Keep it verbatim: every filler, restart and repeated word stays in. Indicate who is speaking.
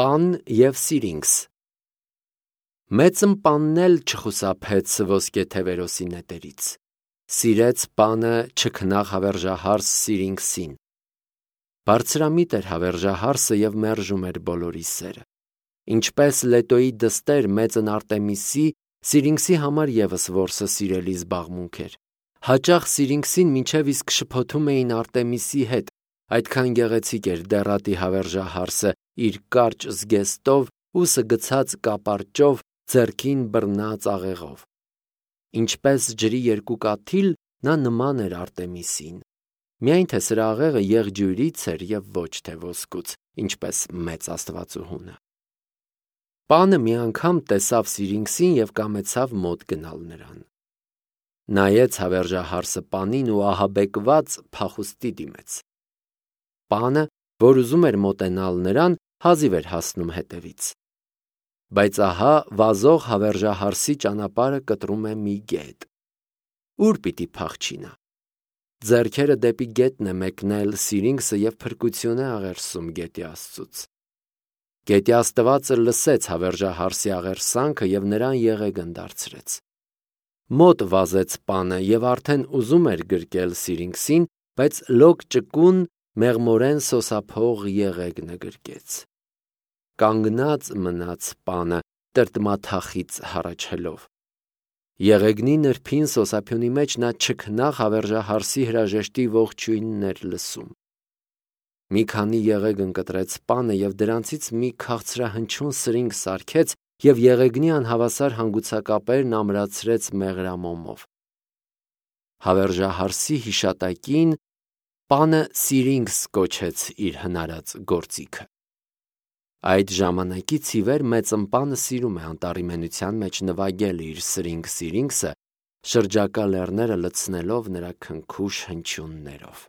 Speaker 1: Պան և Սիրինքս։ Մեծն պանն էլ չխուսափեց ոսկեթևերոսի նետերից, սիրեց պանը չքնաղ հավերժահարս Սիրինքսին։ Բարձրամիտ էր հավերժահարսը և մերժում էր բոլորի սերը։ Ինչպես Լետոյի դստեր մեծն Արտեմիսի, Սիրինքսի համար ևս որսը սիրելի զբաղմունք էր։ Հաճախ Սիրինքսին մինչև իսկ շփոթում էին Արտեմիսի հետ, այդքան գեղեցիկ էր դեռատի հավերժահարսը իր կարճ զգեստով, ուսը գցած կապարճով, ձեռքին բռնած աղեղով։ Ինչպես ջրի երկու կաթիլ, նա նման էր Արտեմիսին, միայն թե սրա աղեղը եղջյուրից էր և ոչ թե ոսկուց, ինչպես մեծ աստվածուհունը։ Պանը մի անգամ տեսավ Սիրինքսին և կամեցավ մոտ գնալ նրան։ Նայեց հավերժահարսը պանին ու ահաբեկված փախուստի դիմեց։ Պանը, որ ուզում էր մոտենալ նրան, հազիվ էր հասնում հետևից։ Բայց ահա վազող հավերժահարսի ճանապարհը կտրում է մի գետ։ Ո՞ւր պիտի փախչի նա։ Ձեռքերը դեպի գետն է մեկնել Սիրինքսը և փրկություն է աղերսում գետի աստծուց։ Գետի աստվածը լսեց հավերժահարսի աղերսանքը և նրան եղեգն դարձրեց։ Մոտ վազեց պանը և արդեն ուզում էր գրկել Սիրինքսին, բայց լոկ ճկուն մեղմորեն սոսափող եղեգնը գրկեց։ Կանգնած մնաց պանը տրտմաթախիծ հառաչելով։ Եղեգնի նրբին սոսափյունի մեջ նա չքնաղ հավերժահարսի հրաժեշտի ողջույնն էր լսում։ Մի քանի եղեգն կտրեց պանը և դրանցից մի քաղցրահնչյուն սրինգ սարքեց և եղեգնի անհավասար հանգուցակապերն ամրացրեց մեղրամոմով։ Հավերժահարսի հիշատակին պանը Սիրինքս կոչեց իր հնարած գործիքը։ Այդ ժամանակից ի վեր մեծն պանը սիրում է անտառիմենության մեջ նվագել իր սրինգ Սիրինքսը, շրջակա լեռները լցնելով նրա քնքուշ հնչյուններով։